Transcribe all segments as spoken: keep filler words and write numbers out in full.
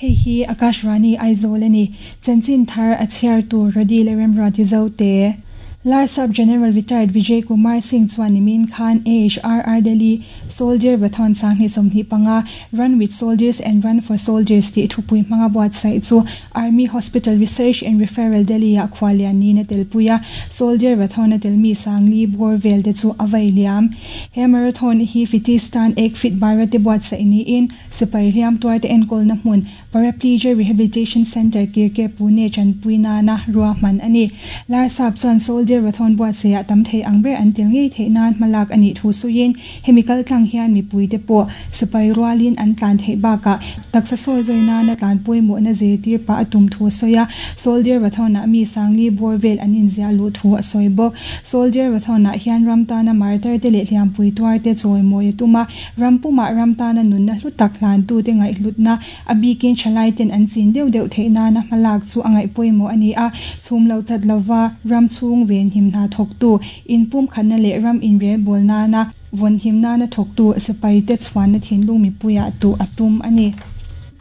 Hei hi Akashvani Aizawl ani. Chanchin thar a chhiar tur Rodi leh Remruati Zote. Larsap General Retired Vijay Kumar Singh chuan nimin khan A H R R Delhi Soldier Bathon Sanghnih sawmhnih panga "Run with Soldiers and Run for Soldiers" tih thupui hmanga buatsaih chu Army Hospital Research and Referral Delhi ah khuallian niin a telpui a. Soldier Bathon a telmi sangli bawr vel te chu a vai liam. He marathon hi Fitistan Ek Fit Bharat te buatsaih niin sipai hliam tuar te enkawlna hmun Paraplegia Rehabilitation Center, Kirke, Pune chanpui nana ruahman ani. Larsap chuan Soldier Bathon buatsaihah tam thei ang ber an tel ngei theih nan hmalak ani thu sawiin, hemi kaltlang hian mipui te pawh sipai rualin an tlan theih bakah taksa sawi zawi nana tlan pawimawh na zirtir pah a tum thu a sawi a. Soldier Bathon-ah mi sangli bawr vel an inziah luh thu a sawi bawk. Soldier Bathon-ah hian ram tana martar te leh hliampui tuar te chawimawi a tum a, ram pumah ram tana nunna hlu tak hlan tu te ngaihhlutna, a bikin thalai ten an chin deuh deuh theih nana hmalak chu a ngaih pawimawh ani a. Chhum lo chat lova ram chhung ven him hna thawk tu, in pum khatna leh ram inrel bawl nana vawn him nana thawk tu sipai te chhuanna thinlung mipuiah tu a tum ani.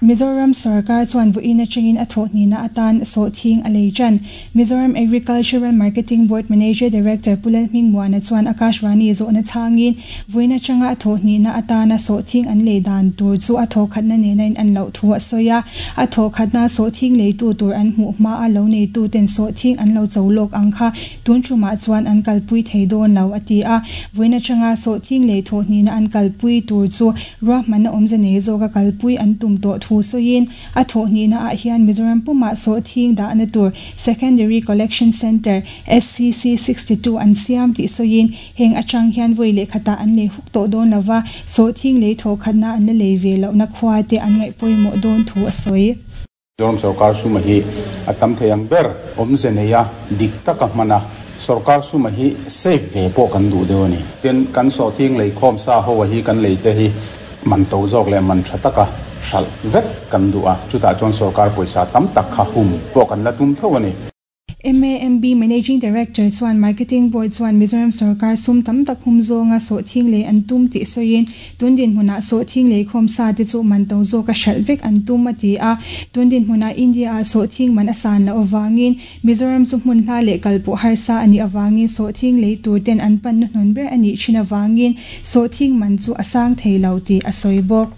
Mizoram sarkar chuan vawiin atangin a thawh hnihna atan sawhthing a lei tan. Mizoram Agricultural Marketing Board Manager Director Pu Lalhmingmuana chuan Akashvani zawhna chhangin, vawiin atanga a thawh hnihna atana sawhthing an lei dan tur chu a thawh khatna nena in an loh thu a sawi a. A thawh khatna sawhthing leitu tur an hmuh hma a lo neitu ten sawhthing an lo cho lawk ang kha tun thumah chuan an kalpui thei dawn lo a ti a. Vawiin atanga sawhthing lei thawh hnihna an kalpui tur chu ruahmanna awmze nei zawka kalpui an tum tawh thu sawiin, a thawh hnihna ah hian Mizoram pumah sawhthing dahna tur Secondary Collection Center S C C sixty-two an siam tih sawiin, heng atang hian vawi leh khatah an lei huk tawh dawn lova, sawhthing lei thawh khatna an la lei ve lohna khua te an ngaih pawimawh dawn thu a sawi. Mizoram sarkar suma hi a tam thei ang ber awmze nei a, dik taka hmana, sarkar suma hi safe ve pawh kan duh deuh ani. Tin, kan sawhthing lei khawm sa ho hi, kan lei te hi man to zawk leh man tha taka hral vek kan duh a, chutah chuan sarkar pawisa tam tak kha hum pawh kan la tum tho ani. M A M B Managing Director chuan Marketing Board chuan Mizoram sarkar sum tam tak hum zawnga sawhthing lei an tum tih sawiin, tundin hmunah sawhthing lei khawm sa te chu man to zawka hralh vek an tum a ti a. Tundin hmunah India ah sawhthing man a san loh awangin Mizoram chu hmun hla leh kalpawh harsa ani awangin sawhthing lei tur ten an pan hnuhnun ber ani thin awangin sawhthing man chu a sang thei lo tih a sawi bawk.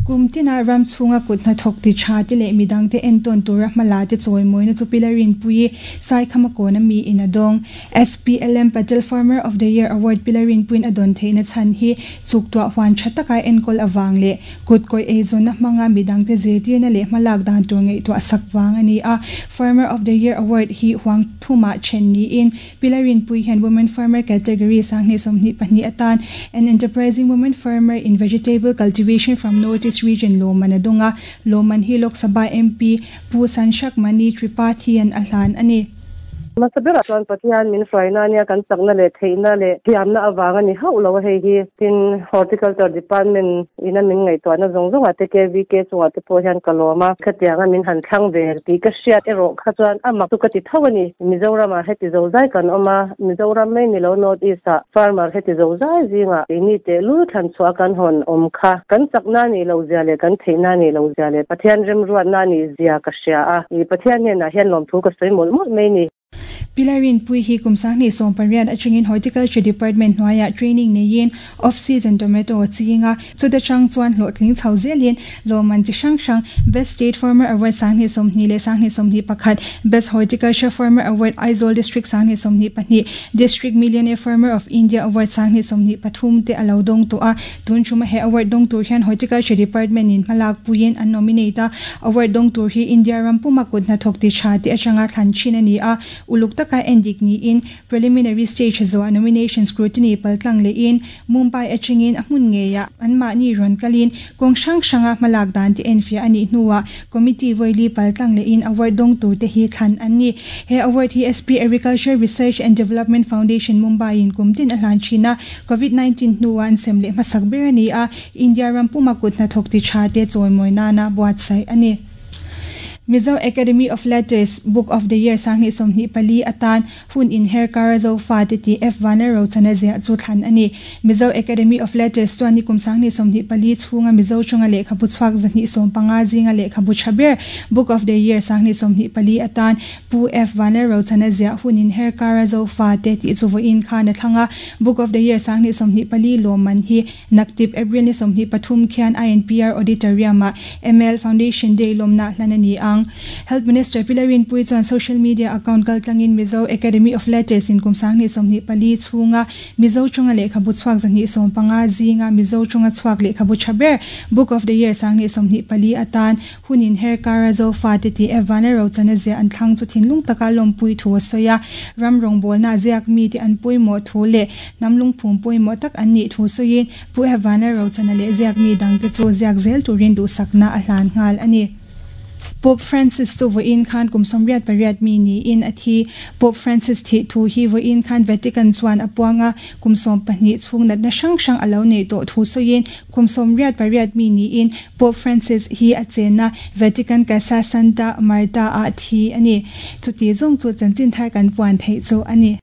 Kum tina ram chhunga kut hnathawk ti tha te leh midang te entawn tura hmala te chawimawina chu Pilarin pui Saikhama kawna mi in a dawng. S P L M Patel Farmer of the Year Award Pilarin puin a dawn theihna chhan hi chuktuah huan tha taka enkawl awang leh kut kawi eizawnna hmanga midang te zirtirna leh hmalak dan tur ngaihtuah sak wang ani a. Farmer of the Year Award hi huang thuma then niin Pilarin pui hian Women Farmer category sanghnih sawmhnih pahnih atan "An Enterprising Women Farmer in Vegetable Cultivation from North East Region" lawman a dawnga. Lawman hi Lok Sabha M P Pu Sansakh Mani Tripathi an a hlan ani. Masabera chuan Pathian min hruaina ania, kan chakna leh theihna leh thiamna awang ani hauh lo. Hei hi tin Horticulture Department ina min ngaihtuahna zawng zawng te, K V K chungah te pawh hian ka lawm a. Khatianga min han thlang ve tih ka hriat erawh kha chuan amak chu ka ti tho ani. Mizoram ah heti zo zai kan awm a, Mizoram mai ni lo, North East ah farmer heti zo zai zinga keini te lu thlan chhuah kan hawn awm kha kan chakna ni lo zia leh kan theihna ni lo zia leh Pathian remruat na ni zia ka hria a. I Pathian hnenah hian lawm thu ka sawi mawlh mawlh mai ni. Pilarin pui hi kum sanghnih sawm pariat atangin Horticulture Department hnuaiah training neiin off season tomato chinga, chuta chang chuan hlawhtling chho zelin lawman chi hrang hrang, Best State Farmer Award sanghnih sawmhnih leh sanghnih sawmhnih pakhat, Best Horticulture Farmer Award, Aizawl District sanghnih sawmhnih pahnih, District Millionaire Farmer of India Award sanghnih sawmhnih pathum te alo dawng tawh a. Tun thuma he award dawng tur hian Horticulture Department in hmalak puiin an nominate a. Award dawng tur hi India ram puma kut hnathawk ti tha te atanga thlan thin ani a. Uluk taka endik ni in preliminary stage zo nomination scrutiny paltlang le in Mumbai atangin a hmun ngeya an mahni rawn kalin kawng hrang hranga hmalak dan te enfia ani hnuwa committee voili paltlang le in award dawng tur te hi thlan an ni. He award hi S P Agriculture Research and Development Foundation, Mumbai in kumtin a hlan thina. COVID nineteen hnuwa an sem leh hmasak ber ani a. India ram puma kut hnathawk ti tha te chawimawi nana buatsaih ani. Mizo Academy of Letters Book of the Year sanghnih sawmhnih pali atan hun inher kara zofa te ti F Vanlalrochana ziah chu thlan a ni. Mizo Academy of Letters chuan nikum sanghnih sawmhnih pali chhunga Mizo tawnga lehkhabu chhuak zahnih sawm panga zinga lehkhabu tha ber Book of the Year sanghnih sawmhnih pali atan Pu F Vanlalrochana ziah hun inher kara zofa te ti chu vawiin khan a thlanga Book of the Year sanghnih sawmhnih pali lawmman hi naktip April ni sawmhnih pathum khian I N P R Auditorium ah M L Foundation Day lawmna hlan a ni ang. Health Minister Pi Lalrinpuii chuan social media account kaltlangin Mizo Academy of Letters in kum sanghnih sawmhnih pali chhunga Mizo tawnga lehkhabu chhuak zahnih sawm panga zinga Mizo tawnga chhuak lehkhabu tha ber Book of the Year sanghnih sawmhnih pali atan hunin her kara zofa te ti F Vanlalrochana ziah an thlang chu thinlung taka lawmpui thu a sawi a. Ram rawngbawlna ziak mi te an pawimawh thu leh hnam lungphum pawimawh tak an nih thu sawiin Pu F Vanlalrochana leh ziak mi dang te chu ziak zel turin duhsakna a hlan nghal a ni. Pope Francis chu vawiin khan kum sawmriat pariat mi niin a thi. Pope Francis thi thu hi vawiin khan Vatican chuan a puanga kum sawm pahnih chhung natna hrang hrang a lo nei tawh thu sawiin kum sawmriat pariat mi niin Pope Francis hi a chenna Vatican Casa Santa Marta ah thi a ni. Chuti zawng chu chanchin thar kan puan theih chu a ni.